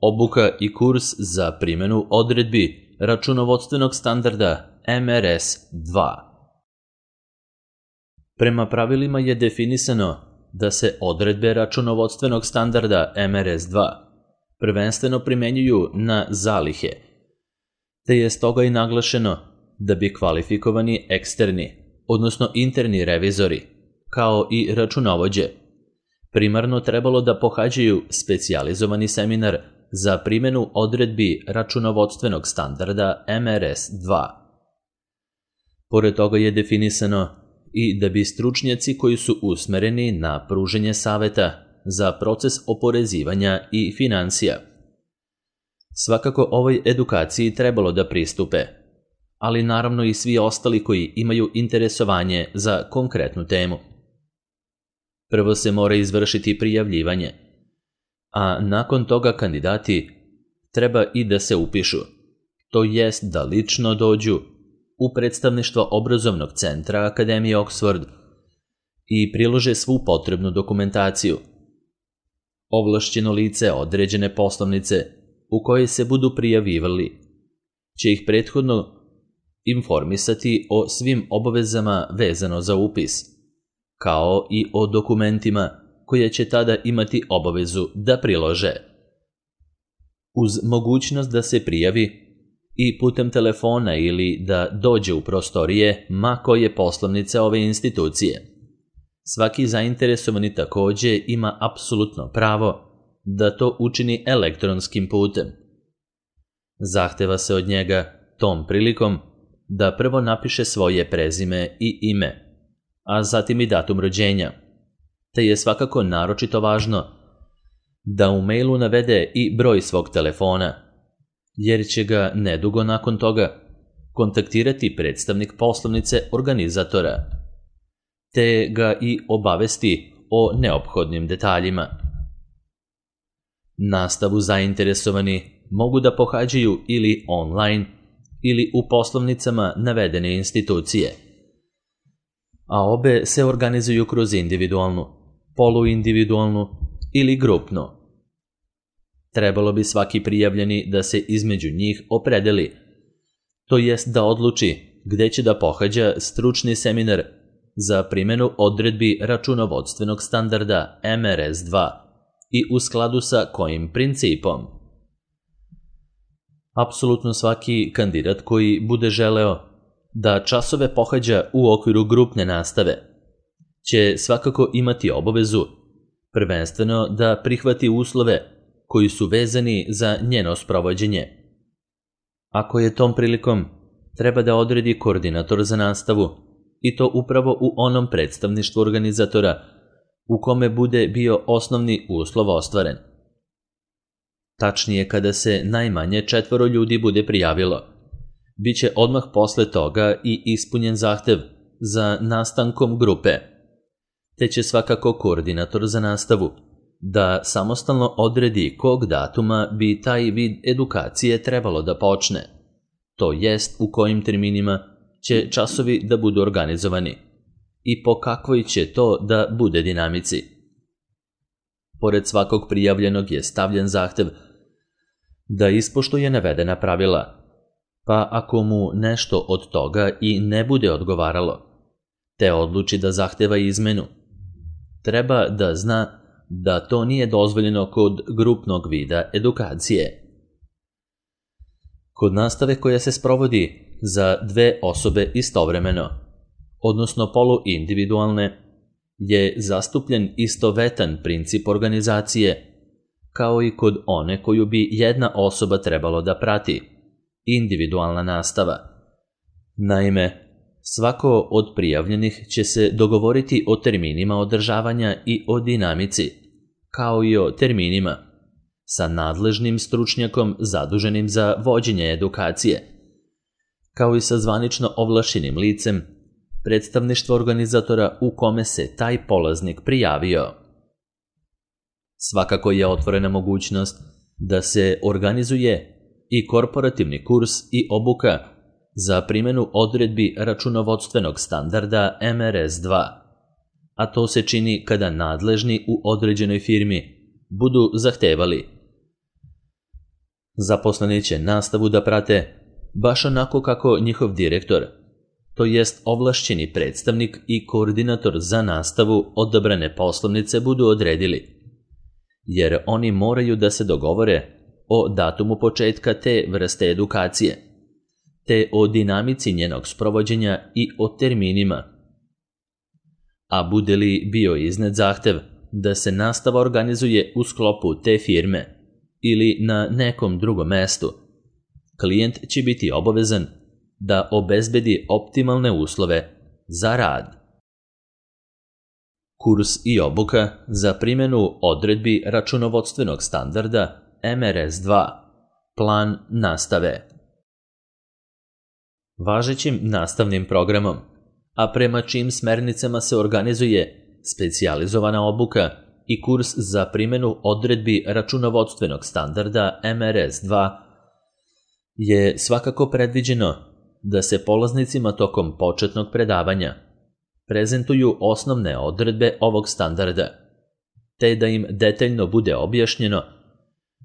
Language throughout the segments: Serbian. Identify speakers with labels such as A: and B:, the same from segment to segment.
A: obuka i kurs za primjenu odredbi računovodstvenog standarda MRS-2. Prema pravilima je definisano da se odredbe računovodstvenog standarda MRS-2 prvenstveno primenjuju na zalihe, te je stoga i naglašeno da bi kvalifikovani eksterni, odnosno interni revizori, kao i računovođe, primarno trebalo da pohađaju specijalizovani seminar za primjenu odredbi računovodstvenog standarda MRS-2. Pored toga je definisano i da bi stručnjaci koji su usmereni na pruženje saveta za proces oporezivanja i finansija svakako ovoj edukaciji trebalo da pristupe, ali naravno i svi ostali koji imaju interesovanje za konkretnu temu. Prvo se mora izvršiti prijavljivanje, a nakon toga kandidati treba i da se upišu, to jest da lično dođu u predstavništvo obrazovnog centra Akademije Oxford i prilože svu potrebnu dokumentaciju. Ovlašćeno lice određene poslovnice u kojoj se budu prijavljivali će ih prethodno informisati o svim obavezama vezano za upis, kao i o dokumentima koje će tada imati obavezu da prilože. Uz mogućnost da se prijavi i putem telefona ili da dođe u prostorije ma koje poslovnice ove institucije, svaki zainteresovani takođe ima apsolutno pravo da to učini elektronskim putem. Zahteva se od njega tom prilikom da prvo napiše svoje prezime i ime, a zatim i datum rođenja, te je svakako naročito važno da u mailu navede i broj svog telefona, jer će ga nedugo nakon toga kontaktirati predstavnik poslovnice organizatora, te ga i obavesti o neophodnim detaljima. Nastavu zainteresovani mogu da pohađaju ili online ili u poslovnicama navedene institucije, a obe se organizuju kroz individualnu, poluindividualnu ili grupnu. Trebalo bi svaki prijavljeni da se između njih opredeli, to jest da odluči gde će da pohađa stručni seminar za primjenu odredbi računovodstvenog standarda MRS-2 i u skladu sa kojim principom. Apsolutno svaki kandidat koji bude želeo da časove pohađa u okviru grupne nastave će svakako imati obavezu prvenstveno da prihvati uslove koji su vezani za njeno sprovođenje. Ako je tom prilikom treba da odredi koordinator za nastavu, i to upravo u onom predstavništvu organizatora u kome bude bio osnovni uslov ostvaren. Tačnije, kada se najmanje 4 ljudi bude prijavilo, bit će odmah posle toga i ispunjen zahtev za nastankom grupe, te će svakako koordinator za nastavu da samostalno odredi kog datuma bi taj vid edukacije trebalo da počne, to jest u kojim terminima će časovi da budu organizovani i po kakvoj će to da bude dinamici. Pored svakog prijavljenog je stavljen zahtev da ispoštuje navedena pravila, pa ako mu nešto od toga i ne bude odgovaralo, te odluči da zahteva izmenu, treba da zna da to nije dozvoljeno kod grupnog vida edukacije. Kod nastave koja se sprovodi za 2 osobe istovremeno, odnosno poluindividualne, je zastupljen istovetan princip organizacije, kao i kod one koju bi jedna osoba trebalo da prati, individualna nastava. Naime, svako od prijavljenih će se dogovoriti o terminima održavanja i o dinamici, kao i o terminima, sa nadležnim stručnjakom zaduženim za vođenje edukacije, kao i sa zvanično ovlašćenim licem predstavništva organizatora u kome se taj polaznik prijavio. Svakako je otvorena mogućnost da se organizuje i korporativni kurs i obuka za primjenu odredbi računovodstvenog standarda MRS-2, a to se čini kada nadležni u određenoj firmi budu zahtevali Zaposleni će nastavu da prate baš onako kako njihov direktor, to jest ovlašćeni predstavnik i koordinator za nastavu odabrane poslovnice budu odredili, jer oni moraju da se dogovore o datumu početka te vrste edukacije, te o dinamici njenog sprovođenja i o terminima. A bude li bio iznet zahtev da se nastava organizuje u sklopu te firme ili na nekom drugom mestu, klijent će biti obavezan da obezbedi optimalne uslove za rad. Kurs i obuka za primjenu odredbi računovodstvenog standarda MRS2. Plan nastave. Važećim nastavnim programom, a prema čijim smernicama se organizuje specijalizovana obuka i kurs za primjenu odredbi računovodstvenog standarda MRS2, je svakako predviđeno da se polaznicima tokom početnog predavanja prezentuju osnovne odredbe ovog standarda, te da im detaljno bude objašnjeno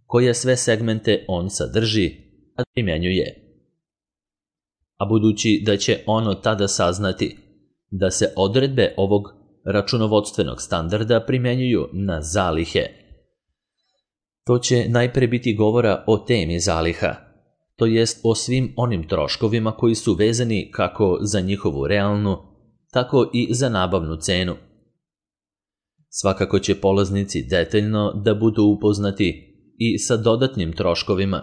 A: koje sve segmente on sadrži, a primjenjuje. A budući da će ono tada saznati da se odredbe ovog računovodstvenog standarda primjenjuju na zalihe, to će najpre biti govora o temi zaliha, to jest o svim onim troškovima koji su vezani kako za njihovu realnu, tako i za nabavnu cenu. Svakako će polaznici detaljno da budu upoznati i sa dodatnim troškovima,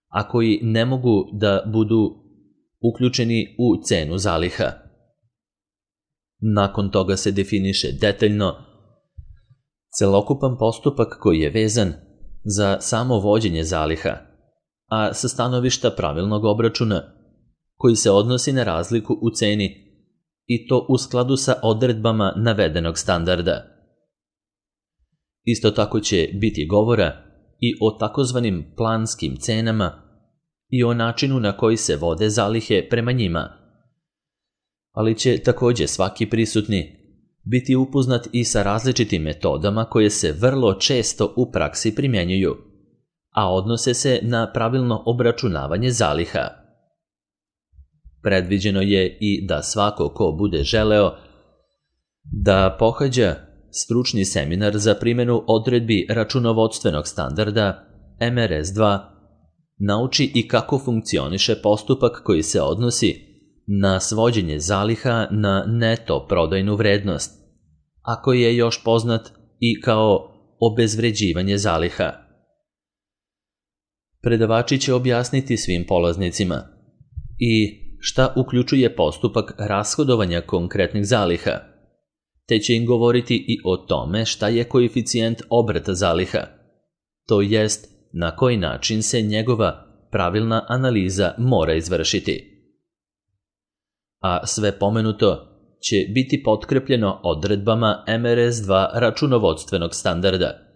A: a koji ne mogu da budu uključeni u cenu zaliha. Nakon toga se definiše detaljno celokupan postupak koji je vezan za samo vođenje zaliha, a sa stanovišta pravilnog obračuna, koji se odnosi na razliku u ceni i to u skladu sa odredbama navedenog standarda. Isto tako će biti govora i o takozvanim planskim cenama i o načinu na koji se vode zalihe prema njima, ali će također svaki prisutni biti upoznat i sa različitim metodama koje se vrlo često u praksi primjenjuju, a odnose se na pravilno obračunavanje zaliha. Predviđeno je i da svako ko bude želeo da pohađa stručni seminar za primjenu odredbi računovodstvenog standarda MRS2 nauči i kako funkcioniše postupak koji se odnosi na svođenje zaliha na neto prodajnu vrednost, a koji je još poznat i kao obezvređivanje zaliha. Predavači će objasniti svim polaznicima i šta uključuje postupak rashodovanja konkretnih zaliha, te će im govoriti i o tome šta je koeficijent obrata zaliha, to jest na koji način se njegova pravilna analiza mora izvršiti. A sve pomenuto će biti potkrepljeno odredbama MRS2 računovodstvenog standarda,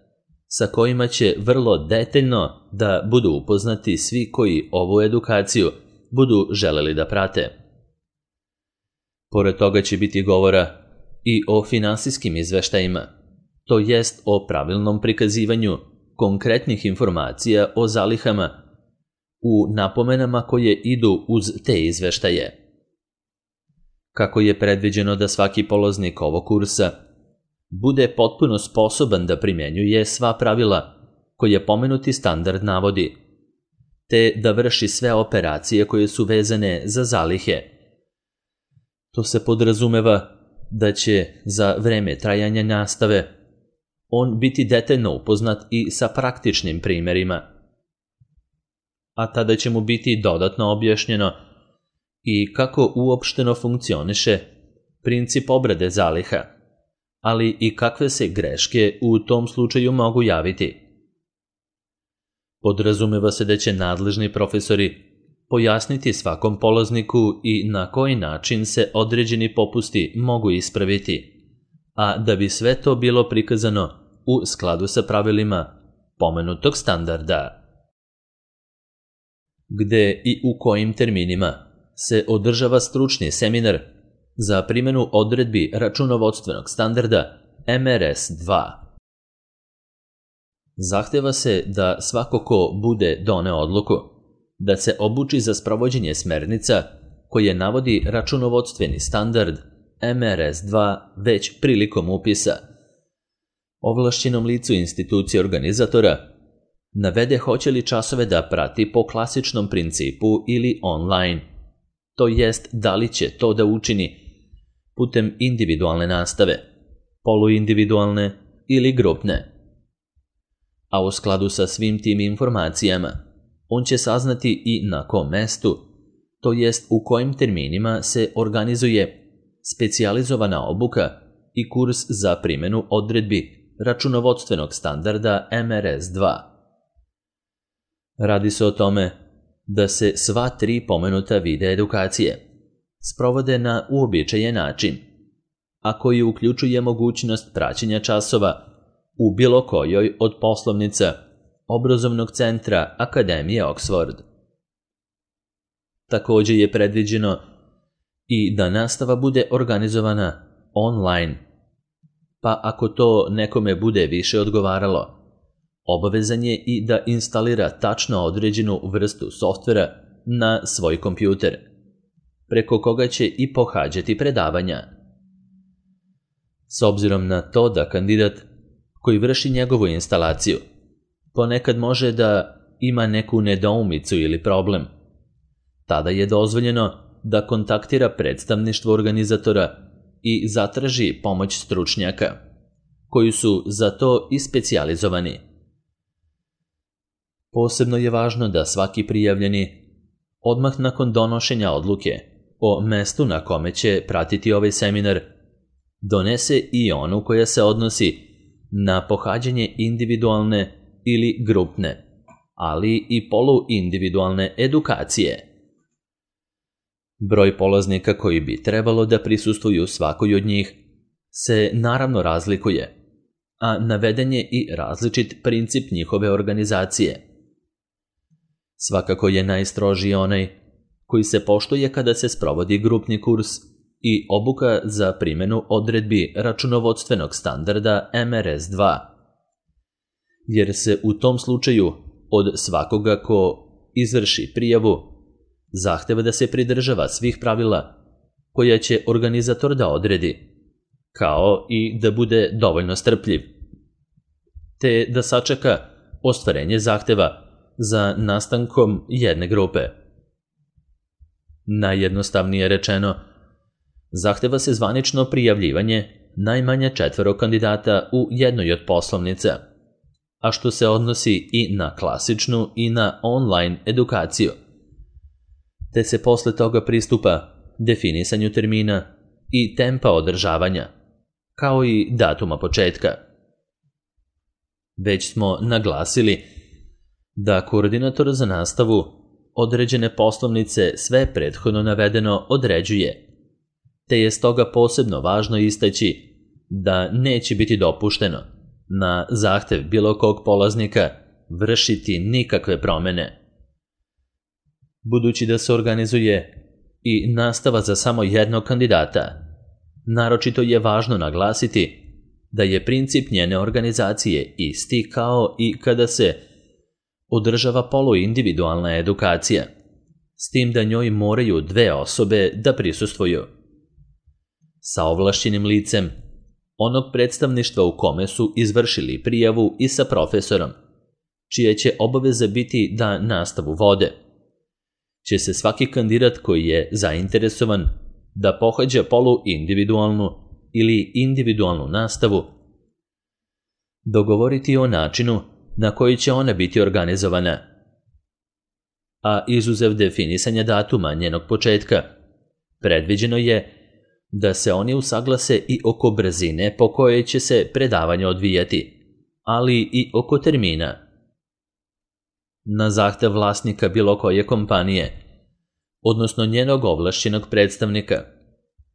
A: sa kojima će vrlo detaljno da budu upoznati svi koji ovu edukaciju budu želeli da prate. Pored toga će biti govora i o finansijskim izveštajima, to jest o pravilnom prikazivanju konkretnih informacija o zalihama u napomenama koje idu uz te izveštaje. Kako je predviđeno da svaki polaznik ovog kursa bude potpuno sposoban da primjenjuje sva pravila koje pomenuti standard navodi, te da vrši sve operacije koje su vezane za zalihe. To se podrazumeva da će za vreme trajanja nastave on biti detaljno upoznat i sa praktičnim primjerima, a tada će mu biti dodatno objašnjeno i kako uopšteno funkcioniše princip obrade zaliha, ali i kakve se greške u tom slučaju mogu javiti. Podrazumeva se da će nadležni profesori pojasniti svakom polazniku i na koji način se određeni popusti mogu ispraviti, a da bi sve to bilo prikazano u skladu sa pravilima pomenutog standarda. Gde i u kojim terminima se održava stručni seminar za primjenu odredbi računovodstvenog standarda MRS2. Zahteva se da svako ko bude doneo odluku, da se obuči za sprovođenje smernica koje navodi računovodstveni standard MRS2 već prilikom upisa. Ovlašćenom licu institucije organizatora navede hoće li časove da prati po klasičnom principu ili online, to jest da li će to da učini putem individualne nastave, poluindividualne ili grupne. A u skladu sa svim tim informacijama, on će saznati i na kom mestu, to jest u kojim terminima se organizuje specijalizovana obuka i kurs za primjenu odredbi računovodstvenog standarda MRS2. Radi se o tome da se sva 3 pomenuta vide edukacije sprovode na uobičajen način, a koji uključuje mogućnost praćenja časova u bilo kojoj od poslovnica obrazovnog centra Akademije Oxford. Također je predviđeno i da nastava bude organizovana online, pa ako to nekome bude više odgovaralo, obavezan je i da instalira tačno određenu vrstu softvera na svoj kompjuter, preko koga će i pohađati predavanja. S obzirom na to da kandidat koji vrši njegovu instalaciju ponekad može da ima neku nedoumicu ili problem, tada je dozvoljeno da kontaktira predstavništvo organizatora i zatraži pomoć stručnjaka, koji su za to i specijalizovani. Posebno je važno da svaki prijavljeni, odmah nakon donošenja odluke o mestu na kome će pratiti ovaj seminar, donese i onu koja se odnosi na pohađanje individualne ili grupne, ali i poluindividualne edukacije. Broj polaznika koji bi trebalo da prisustvuju svakoj od njih se naravno razlikuje, a naveden je i različit princip njihove organizacije. Svakako je najstrožiji onaj koji se poštuje kada se sprovodi grupni kurs i obuka za primjenu odredbi računovodstvenog standarda MRS2, jer se u tom slučaju od svakoga ko izvrši prijavu zahteva da se pridržava svih pravila koja će organizator da odredi, kao i da bude dovoljno strpljiv, te da sačeka ostvarenje zahteva za nastankom jedne grupe. Najjednostavnije rečeno, zahteva se zvanično prijavljivanje najmanje 4 kandidata u jednoj od poslovnica, a što se odnosi i na klasičnu i na online edukaciju, te se posle toga pristupa definisanju termina i tempa održavanja, kao i datuma početka. Već smo naglasili da koordinator za nastavu određene poslovnice sve prethodno navedeno određuje, te je stoga posebno važno istaći da neće biti dopušteno na zahtev bilo kog polaznika vršiti nikakve promjene. Budući da se organizuje i nastava za samo jednog kandidata, naročito je važno naglasiti da je princip njene organizacije isti kao i kada se održava poluindividualna edukacija, s tim da njoj moraju 2 osobe da prisustvuju. Sa ovlašćenim licem onog predstavništva u kome su izvršili prijavu i sa profesorom, čija će obaveza biti da nastavu vode, će se svaki kandidat koji je zainteresovan da pohađa poluindividualnu ili individualnu nastavu dogovoriti o načinu na koji će ona biti organizovana, a izuzev definisanja datuma njenog početka, predviđeno je da se oni usaglase i oko brzine po kojoj će se predavanje odvijati, ali i oko termina. Na zahtev vlasnika bilo koje kompanije, odnosno njenog ovlašćenog predstavnika,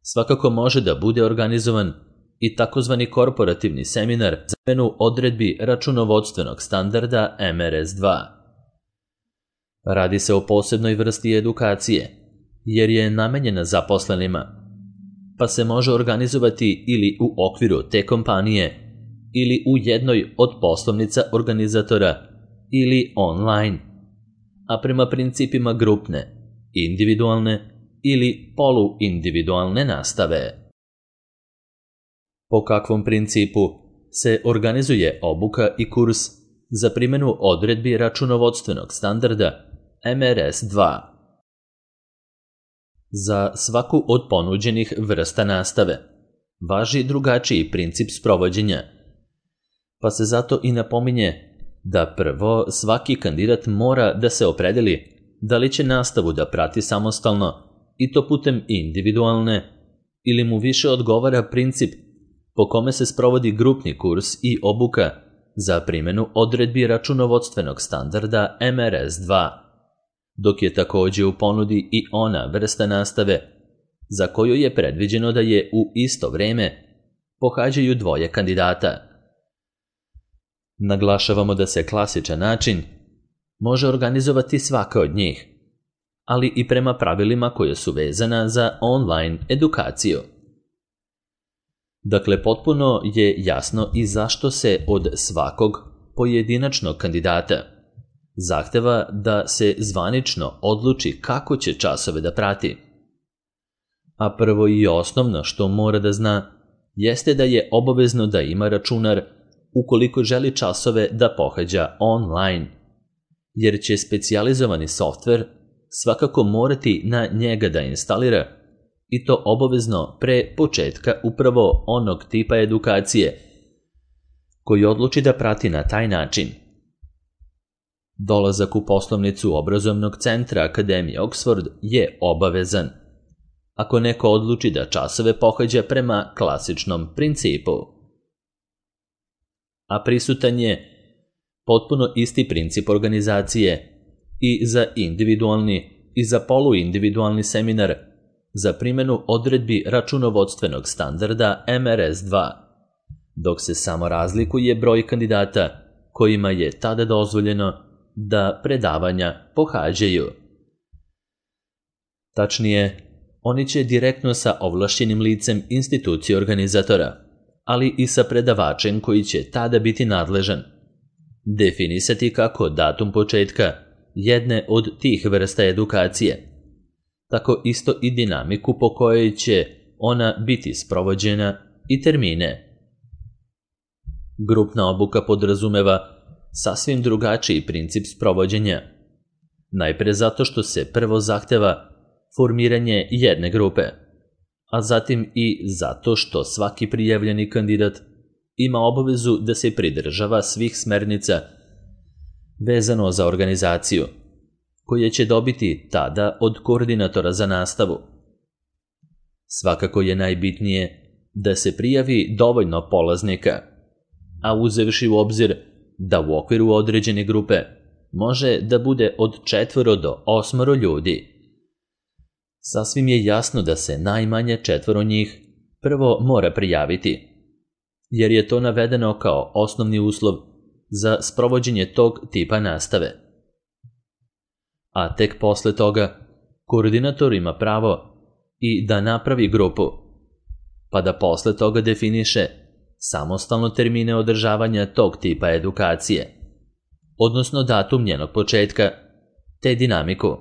A: svakako može da bude organizovan i takozvani korporativni seminar za primjenu odredbi računovodstvenog standarda MRS2. Radi se o posebnoj vrsti edukacije, jer je namenjena zaposlenima, pa se može organizovati ili u okviru te kompanije ili u jednoj od poslovnica organizatora ili online, a prema principima grupne, individualne ili poluindividualne nastave. Po kakvom principu se organizuje obuka i kurs za primjenu odredbi računovodstvenog standarda MRS-2? Za svaku od ponuđenih vrsta nastave važi drugačiji princip sprovođenja, pa se zato i napominje da prvo svaki kandidat mora da se opredeli da li će nastavu da prati samostalno i to putem individualne ili mu više odgovara princip po kome se sprovodi grupni kurs i obuka za primjenu odredbi računovodstvenog standarda MRS-2, dok je također u ponudi i ona vrsta nastave za koju je predviđeno da je u isto vreme pohađaju dvoje kandidata. Naglašavamo da se klasičan način može organizovati svaka od njih, ali i prema pravilima koje su vezana za online edukaciju. Dakle, potpuno je jasno i zašto se od svakog pojedinačnog kandidata zahteva da se zvanično odluči kako će časove da prati. A prvo i osnovno što mora da zna jeste da je obavezno da ima računar ukoliko želi časove da pohađa online, jer će specijalizovani softver svakako morati na njega da instalira i to obavezno pre početka upravo onog tipa edukacije koji odluči da prati na taj način. Dolazak u poslovnicu obrazovnog centra Akademije Oxford je obavezan ako neko odluči da časove pohađa prema klasičnom principu. A prisutan je potpuno isti princip organizacije i za individualni i za poluindividualni seminar za primjenu odredbi računovodstvenog standarda MRS-2, dok se samo razlikuje broj kandidata kojima je tada dozvoljeno da predavanja pohađaju. Tačnije, oni će direktno sa ovlašćenim licem institucije organizatora, ali i sa predavačem koji će tada biti nadležan, definisati kako datum početka jedne od tih vrsta edukacije, tako isto i dinamiku po kojoj će ona biti sprovođena i termine. Grupna obuka podrazumeva sasvim drugačiji princip sprovođenja. Najpre zato što se prvo zahteva formiranje jedne grupe, a zatim i zato što svaki prijavljeni kandidat ima obavezu da se pridržava svih smernica vezano za organizaciju, koje će dobiti tada od koordinatora za nastavu. Svakako je najbitnije da se prijavi dovoljno polaznika, a uzevši u obzir da u okviru određene grupe može da bude od 4 do 8 ljudi. Sasvim je jasno da se najmanje 4 njih prvo mora prijaviti, jer je to navedeno kao osnovni uslov za sprovođenje tog tipa nastave. A tek posle toga koordinator ima pravo i da napravi grupu, pa da posle toga definiše samostalno termine održavanja tog tipa edukacije, odnosno datum njenog početka, te dinamiku.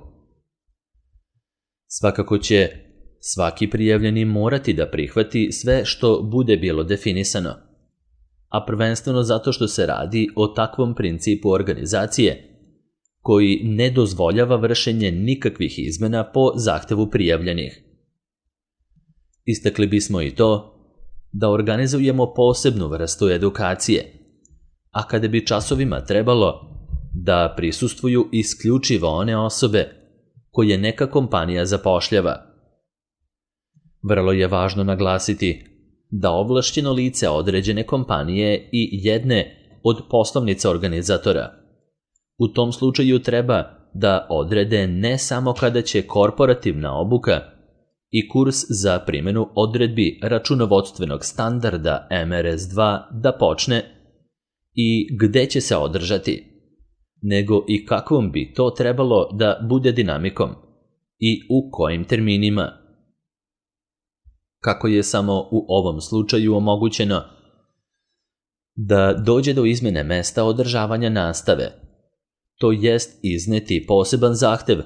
A: Svakako će svaki prijavljeni morati da prihvati sve što bude bilo definisano, a prvenstveno zato što se radi o takvom principu organizacije koji ne dozvoljava vršenje nikakvih izmena po zahtevu prijavljenih. Istakli bismo i to da organizujemo posebnu vrstu edukacije, a kada bi časovima trebalo da prisustvuju isključivo one osobe koje neka kompanija zapošljava. Vrlo je važno naglasiti da ovlašćeno lice određene kompanije i jedne od poslovnica organizatora u tom slučaju treba da odrede ne samo kada će korporativna obuka i kurs za primjenu odredbi računovodstvenog standarda MRS-2 da počne i gde će se održati, nego i kakvom bi to trebalo da bude dinamikom i u kojim terminima. Kako je samo u ovom slučaju omogućeno da dođe do izmjene mesta održavanja nastave, to jest izneti poseban zahtev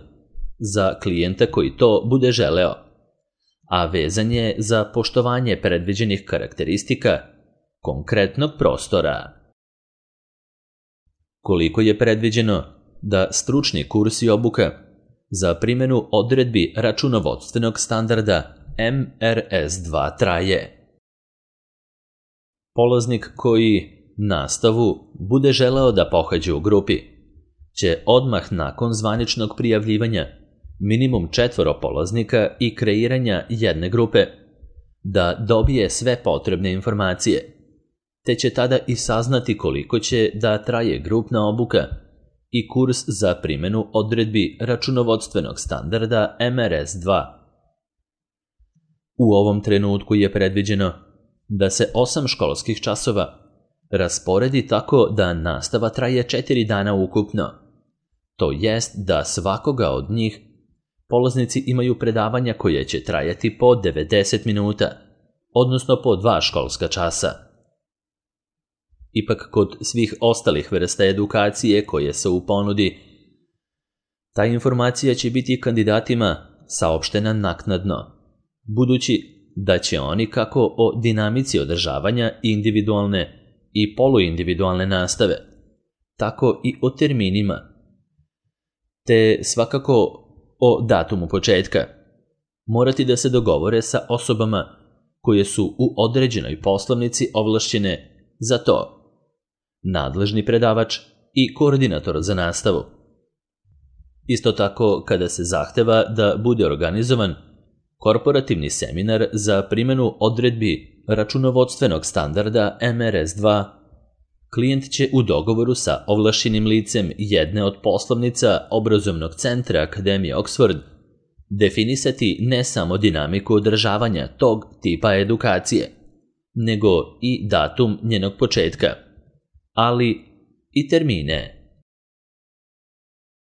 A: za klijenta koji to bude želeo, a vezan je za poštovanje predviđenih karakteristika konkretnog prostora. Koliko je predviđeno da stručni kurs i obuka za primjenu odredbi računovodstvenog standarda MRS2 traje? Polaznik koji nastavu bude želeo da pohađa u grupi će odmah nakon zvaničnog prijavljivanja minimum 4 polaznika i kreiranja jedne grupe da dobije sve potrebne informacije, te će tada i saznati koliko će da traje grupna obuka i kurs za primjenu odredbi računovodstvenog standarda MRS2. U ovom trenutku je predviđeno da se 8 školskih časova rasporedi tako da nastava traje 4 dana ukupno, to jest da svakoga od njih polaznici imaju predavanja koje će trajati po 90 minuta, odnosno po 2 školska časa. Ipak kod svih ostalih vrsta edukacije koje su u ponudi, ta informacija će biti kandidatima saopštena naknadno, budući da će oni kako o dinamici održavanja individualne i poluindividualne nastave, tako i o terminima, te svakako o datumu početka, morati da se dogovore sa osobama koje su u određenoj poslovnici ovlašćene za to, nadležni predavač i koordinator za nastavu. Isto tako, kada se zahteva da bude organizovan korporativni seminar za primjenu odredbi računovodstvenog standarda MRS2, klijent će u dogovoru sa ovlašćenim licem jedne od poslovnica obrazovnog centra Akademije Oxford definisati ne samo dinamiku održavanja tog tipa edukacije, nego i datum njenog početka, ali i termine.